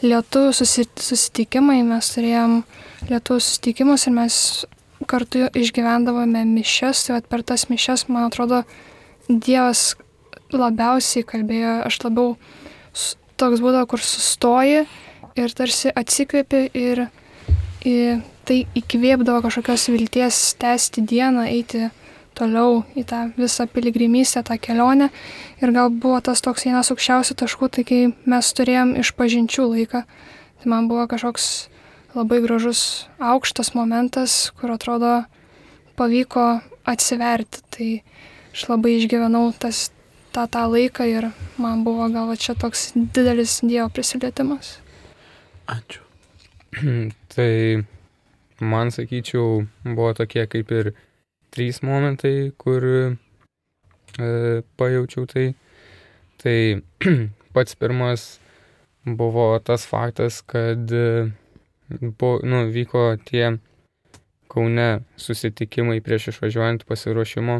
lietuvių susitikimai, mes turėjom lietuvių susitikimus ir mes kartu išgyvendavome mišias, tai vat per tas mišias, man atrodo, Dievas labiausiai kalbėjo, aš labiau toks būdavo, kur sustoji ir tarsi atsikvėpi ir į, tai įkvėpdavo kažkokios vilties tęsti dieną, eiti toliau į tą visą piligrimystę, tą kelionę. Ir gal buvo tas toks vienas aukščiausių taškų, tai kai mes turėjom išpažinčių laiką, tai man buvo kažkoks labai gražus aukštas momentas, kur atrodo pavyko atsiverti. Tai aš labai išgyvenau tas, tą, tą laiką ir man buvo gal va čia toks didelis Dievo prisilietimas. Ačiū. Tai man, sakyčiau, buvo tokie kaip ir trys momentai, kur e, pajaučiau tai. Tai pats pirmas buvo tas faktas, kad e, buvo, nu, vyko tie Kaune susitikimai prieš išvažiuojant pasiruošimo.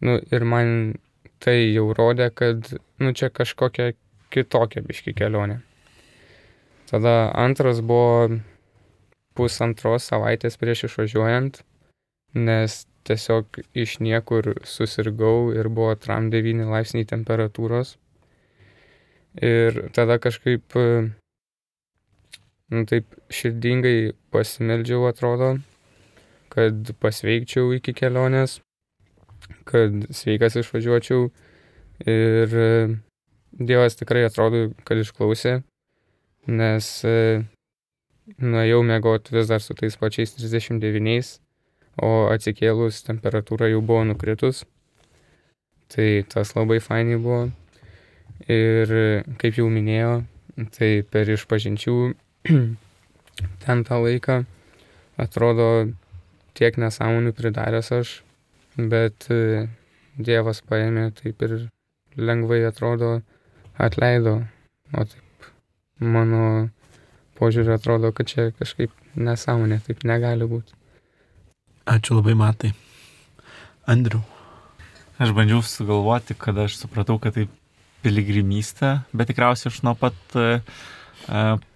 Nu, ir man tai jau rodė, kad nu, čia kažkokia kitokia biški kelionė. Tada antras buvo pusantros savaitės prieš išvažiuojant, nes tiesiog iš niekur susirgau ir buvo tram devyni laipsniai temperatūros. Ir tada kažkaip, nu taip širdingai pasimeldžiau, atrodo, kad pasveikčiau iki kelionės, kad sveikas išvažiuočiau. Ir Dievas tikrai atrodo, kad išklausė, nes nuėjau miegot vis dar su tais pačiais trisdešimt devyniais, o atsikėlus temperatūra jau buvo nukritus. Tai tas labai fainai buvo. Ir kaip jau minėjo, tai per išpažinčių ten tą laiką atrodo tiek nesąmonių pridaręs aš, bet Dievas paėmė taip ir lengvai atrodo atleido. O taip mano požiūrį atrodo, kad čia kažkaip nesąmonė, taip negali būti. Ačiū labai, Matai. Andriau. Aš bandžiau sugalvoti, kad aš supratau, kad tai piligrimystė, bet tikriausiai aš nuo pat e,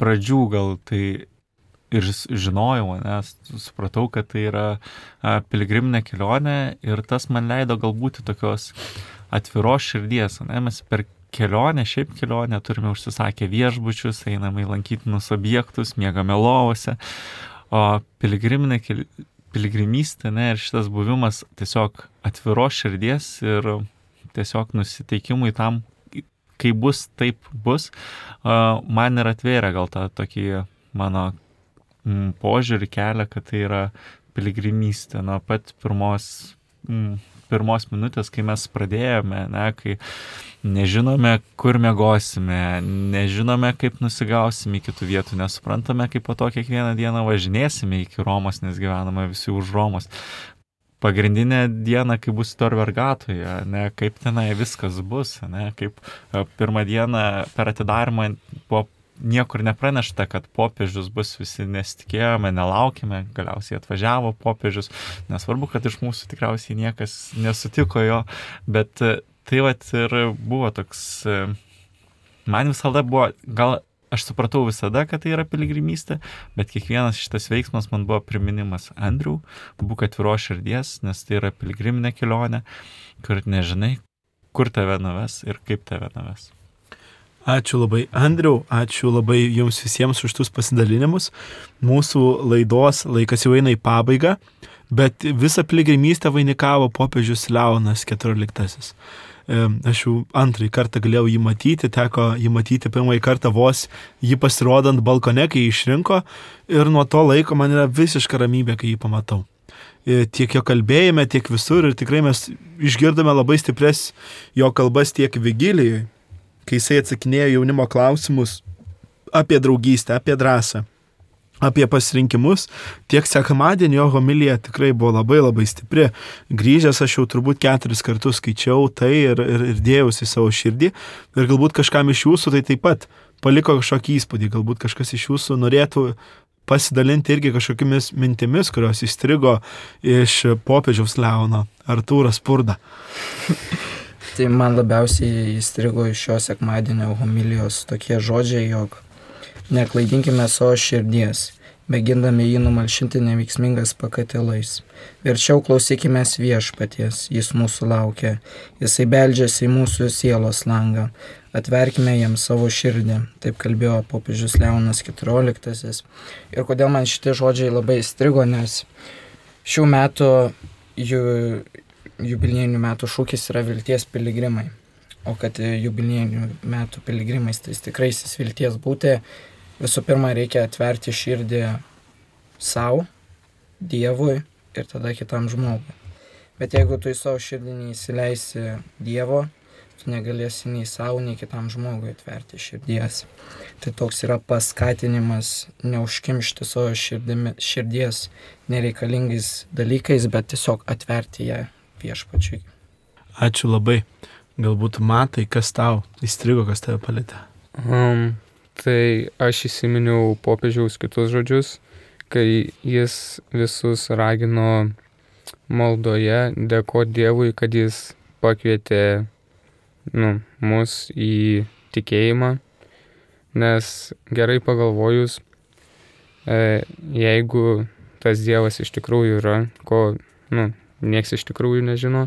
pradžių gal tai ir žinojau, nes supratau, kad tai yra e, piligriminė kelionė ir tas man leido galbūt tokios atviros širdies. Ne? Mes per kelionę, šiaip kelionę turime užsisakę viešbučius, einame į lankytinus objektus, miegame lovose, o piligriminė kelionė piligrimystė, ne, ir šitas buvimas tiesiog atviros širdies ir tiesiog nusiteikimui tam, kai bus, taip bus, man ir atvėrė gal tą tokį mano požiūrį kelią, kad tai yra piligrimystė. Nuo pat pirmos, pirmos minutės, kai mes pradėjome, ne, kai nežinome, kur miegosime, nežinome, kaip nusigausime iki tų vietų, nesuprantame, kaip po to kiekvieną dieną važinėsime iki Romos, nes gyvename visi už Romos. Pagrindinė diena, kai bus Tor Vergatoje, ne, kaip tenai viskas bus, ne, kaip pirmą dieną per atidarymą buvo niekur nepranešta, kad popiežius bus, visi nesitikėjome, nelaukime, galiausiai atvažiavo popiežius, nesvarbu, kad iš mūsų tikriausiai niekas nesutiko jo, bet tai vat ir buvo toks, man visada buvo, gal aš supratau visada, kad tai yra piligrimystė, bet kiekvienas šitas veiksmas man buvo priminimas: Andriau, būk atviros širdies, nes tai yra piligriminė kelionė, kur nežinai, kur tave nuves ir kaip tave nuves. Ačiū labai, Andriau, ačiū labai jums visiems už tus pasidalinimus. Mūsų laidos laikas jau eina į pabaigą, bet visą piligrimystę vainikavo popiežius Leonas keturioliktasis. Aš jau antrąjį kartą galėjau jį matyti, teko jį matyti pirmąjį kartą vos jį pasirodant balkone, kai jį išrinko, ir nuo to laiko man yra visiška ramybė, kai jį pamatau. Tiek jo kalbėjime, tiek visur, ir tikrai mes išgirdome labai stipres jo kalbas tiek vigilijai, kai jisai atsakinėjo jaunimo klausimus apie draugystę, apie drąsą, apie pasirinkimus, tiek sekmadienį jo homilija tikrai buvo labai labai stipri. Grįžęs aš jau turbūt keturis kartus skaičiau tai ir, ir, ir dėjausi savo širdį, ir galbūt kažkam iš jūsų tai taip pat paliko kažkokį įspūdį, galbūt kažkas iš jūsų norėtų pasidalinti irgi kažkokiamis mintimis, kurios įstrigo iš popiežiaus Leono, Artūras Spurda. Tai man labiausiai įstrigo iš šio sekmadienio homilijos tokie žodžiai, jog neklaidinkime savo širdies, mėgindami jį numalšinti neveiksmingas pakatilais. Verčiau klausykime viešpaties, jis mūsų laukia, jisai beldžiasi į mūsų sielos langą, atverkime jam savo širdį. Taip kalbėjo popiežius Leonas keturioliktasis. Ir kodėl man šitie žodžiai labai įstrigo, nes šių metų jų jubiliejinių metų šūkis yra vilties piligrimai. O kad jubiliejinių metų piligrimais, tai tikraisiais vilties būti, visų pirma reikia atverti širdį savo, Dievui ir tada kitam žmogui. Bet jeigu tu į savo širdį neįsileisi Dievo, tu negalėsi nei savo, nei kitam žmogui atverti širdies. Tai toks yra paskatinimas neužkimšti savo širdimi, širdies nereikalingais dalykais, bet tiesiog atverti ją Viešpačiui. Ačiū labai. Galbūt matai, kas tau įstrigo, kas tave palietė. Um, tai aš įsiminiau popiežiaus kitus žodžius, kai jis visus ragino maldoje dėkoti Dievui, kad jis pakvietė nu, mus į tikėjimą, nes gerai pagalvojus, e, jeigu tas Dievas iš tikrųjų yra, ko nu, nieks iš tikrųjų nežino,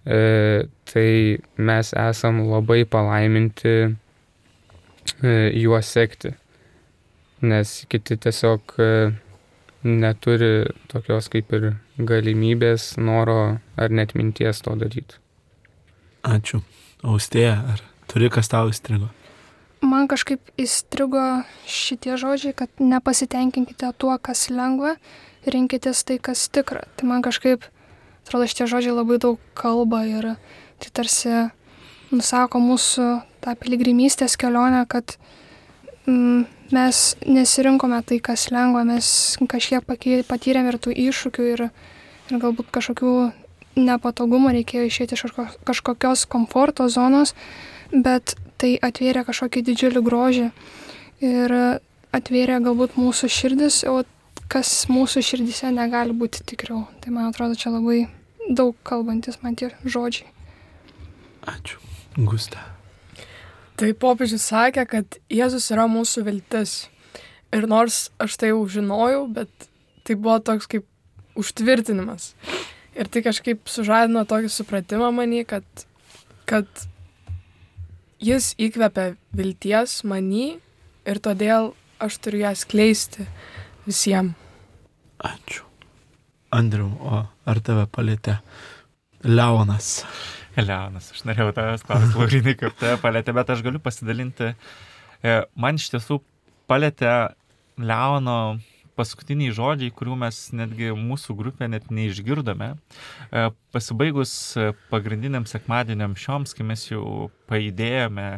e, tai mes esam labai palaiminti e, juo sekti, nes kiti tiesiog e, neturi tokios kaip ir galimybės, noro ar net minties to daryti. Ačiū. Austėja, ar turi kas tau įstrigo? Man kažkaip įstrigo šitie žodžiai, kad nepasitenkinkite tuo, kas lengva, rinkitės tai, kas tikra. Tai man kažkaip, atrodo, šitie žodžiai labai daug kalba ir tai tarsi nusako mūsų tą piligrimystės kelionę, kad mm, mes nesirinkome tai, kas lengva, mes kažkiek patyrėm ir tų iššūkių ir, ir galbūt kažkokių nepatogumų reikėjo išėti iš kažkokios komforto zonos, bet tai atvėrė kažkokį didžiulį grožį ir atvėrė galbūt mūsų širdis, o kas mūsų širdise negali būti tikriau. Tai man atrodo, čia labai daug kalbantis man tie žodžiai. Ačiū. Gusta. Tai popiežius sakė, kad Jėzus yra mūsų viltis. Ir nors aš tai jau žinojau, bet tai buvo toks kaip užtvirtinimas. Ir tai kažkaip sužadino tokį supratimą manį, kad, kad jis įkvepia vilties manį ir todėl aš turiu ją skleisti visiems. Ačiū. Andriau, o ar tave palietė Leonas? Leonas, aš norėjau tavęs klausti, Laurinai, kaip tave palietė, bet aš galiu pasidalinti. Man iš tiesų palietė Leono paskutiniai žodžiai, kurių mes netgi mūsų grupė net neišgirdome. Pasibaigus pagrindiniam sekmadieniam šioms, kai mes jau pajudėjome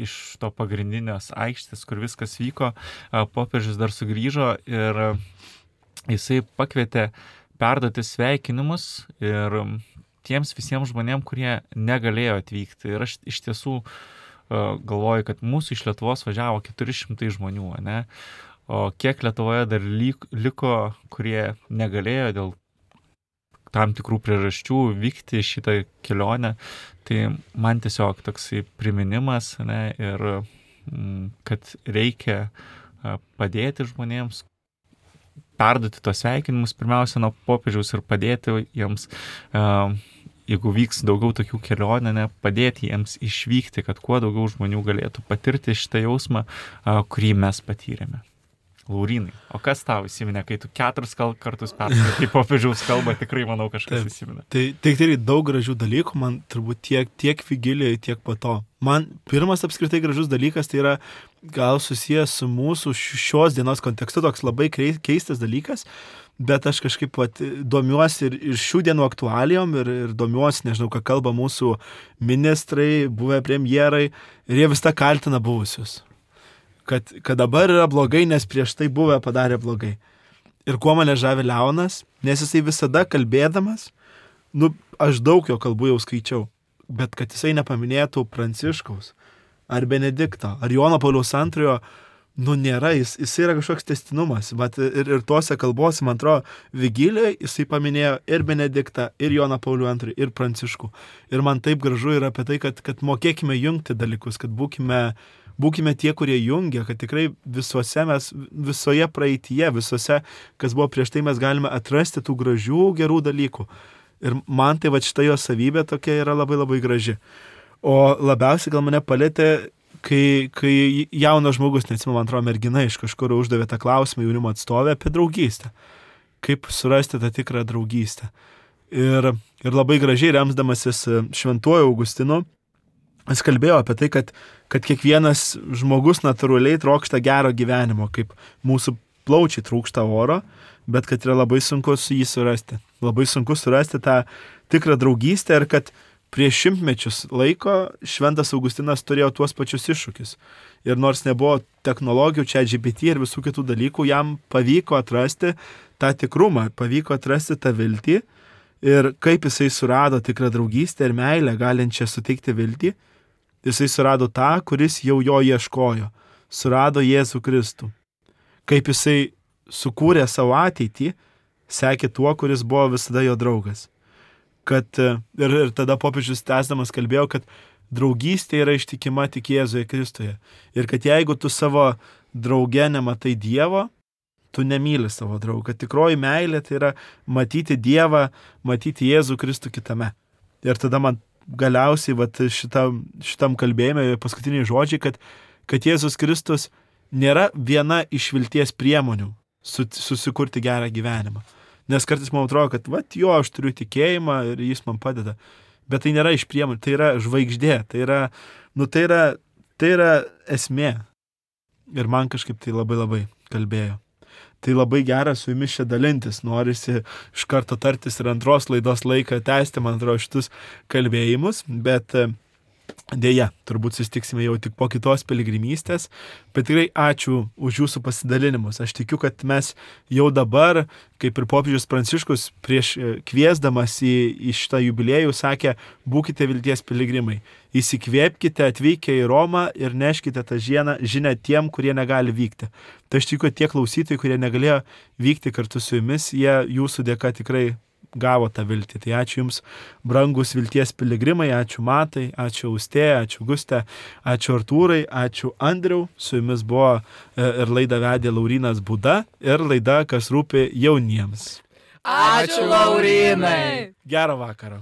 iš to pagrindinės aikštės, kur viskas vyko, popiežius dar sugrįžo ir jisai pakvietė perduoti sveikinimus ir tiems visiems žmonėms, kurie negalėjo atvykti. Ir aš iš tiesų galvoju, kad mūsų iš Lietuvos važiavo keturi šimtai žmonių, ne? O kiek Lietuvoje dar liko, kurie negalėjo dėl tam tikrų priežasčių vykti šitą kelionę, tai man tiesiog toksai priminimas, ne, ir kad reikia padėti žmonėms, perduoti tos sveikinimus pirmiausia nuo popiežiaus ir padėti jiems, jeigu vyks daugiau tokių kelionių, ne, padėti jiems išvykti, kad kuo daugiau žmonių galėtų patirti šitą jausmą, kurį mes patyrėme. Laurinai, o kas tau įsiminė, kai tu keturis kartus perskaitai popiežiaus kalbą, tikrai manau kažkas Taip, įsiminė. Tai tikrai daug gražių dalykų, man turbūt tiek, tiek vigilijoje, tiek po to. Man pirmas apskritai gražus dalykas tai yra gal susijęs su mūsų šios dienos kontekstu, toks labai keistas dalykas, bet aš kažkaip pat domiuosi ir, ir šių dienų aktualijom ir, ir domiuosi, nežinau, ką kalba mūsų ministrai, buvę premjerai ir jie vis tą kaltina buvusius. Kad, kad dabar yra blogai, nes prieš tai buvę padarė blogai. Ir kuo mane žavi Leonas, nes jisai visada kalbėdamas, nu, aš daug jo kalbų jau skaičiau, bet kad jisai nepaminėtų Pranciškaus, ar Benedikto, ar Jono Pauliaus antrojo, nu, nėra, jis, jis yra kažkoks tęstinumas, bet ir, ir tose kalbose, man atrodo, Vigilijoje jisai paminėjo ir Benediktą, ir Joną Paulių antrąjį, ir Pranciškų. Ir man taip gražu yra apie tai, kad, kad mokėkime jungti dalykus, kad būkime Būkime tie, kurie jungia, kad tikrai visuose mes, visoje praeityje, visuose, kas buvo prieš tai, mes galime atrasti tų gražių, gerų dalykų. Ir man tai va šita jo savybė tokia yra labai labai graži. O labiausiai gal mane palėtė, kai, kai jaunas žmogus, neatsimenu, man atrodo, mergina iš kažkur uždavė tą klausimą jaunimo atstovę apie draugystę. Kaip surasti tą tikrą draugystę. Ir, ir labai gražiai remsdamasis šventuoju Augustinu, jis kalbėjo apie tai, kad, kad kiekvienas žmogus natūraliai trokšta gero gyvenimo, kaip mūsų plaučiai trūksta oro, bet kad yra labai sunku su jį surasti. Labai sunku surasti tą tikrą draugystę ir kad prieš šimtmečius laiko Šventas Augustinas turėjo tuos pačius iššūkius. Ir nors nebuvo technologijų, čia G P T ir visų kitų dalykų, jam pavyko atrasti tą tikrumą, pavyko atrasti tą viltį ir kaip jisai surado tikrą draugystę ir meilę, galinčią suteikti viltį. Jisai surado tą, kuris jau jo ieškojo. Surado Jėzų Kristų. Kaip jisai sukūrė savo ateitį, sekė tuo, kuris buvo visada jo draugas. Kad, ir, ir tada popiežius tęsdamas kalbėjo, kad draugystė yra ištikima tik Jėzuje Kristuje. Ir kad jeigu tu savo drauge nematai Dievo, tu nemyli savo draugą. Tikroji meilė tai yra matyti Dievą, matyti Jėzų Kristų kitame. Ir tada man galiausiai vat, šitam, šitam kalbėjime paskutiniai žodžiai, kad, kad Jėzus Kristus nėra viena iš vilties priemonių su, susikurti gerą gyvenimą. Nes kartais man atrodo, kad vat, jo, aš turiu tikėjimą ir jis man padeda. Bet tai nėra iš priemonių, tai yra žvaigždė, tai yra, nu, tai yra, tai yra esmė. Ir man kažkaip tai labai labai kalbėjo. Tai labai gera su jumis čia dalintis, norisi iš karto tartis ir antros laidos laiką tęsti, man atrodo, šitus kalbėjimus, bet dėja, turbūt susitiksime jau tik po kitos piligrimystės, bet tikrai ačiū už jūsų pasidalinimus. Aš tikiu, kad mes jau dabar, kaip ir popiežius Pranciškus prieš kviesdamas į, į šitą jubiliejų, sakė, būkite vilties piligrimai. Įsikvėpkite atvykę į Romą ir neškite tą žinią, žinią tiem, kurie negali vykti. Tai aš tikiu, kad tie klausytojai, kurie negalėjo vykti kartu su jumis, jie jūsų dėka tikrai gavo tą viltį. Tai ačiū Jums, brangus vilties piligrimai, ačiū Matai, ačiū Austėja, ačiū Gustė, ačiū Artūrai, ačiū Andriau. Su Jumis buvo ir laidą vedė Laurynas Būda ir laida, kas rūpi jauniems. Ačiū, Laurynai! Gerą vakarą.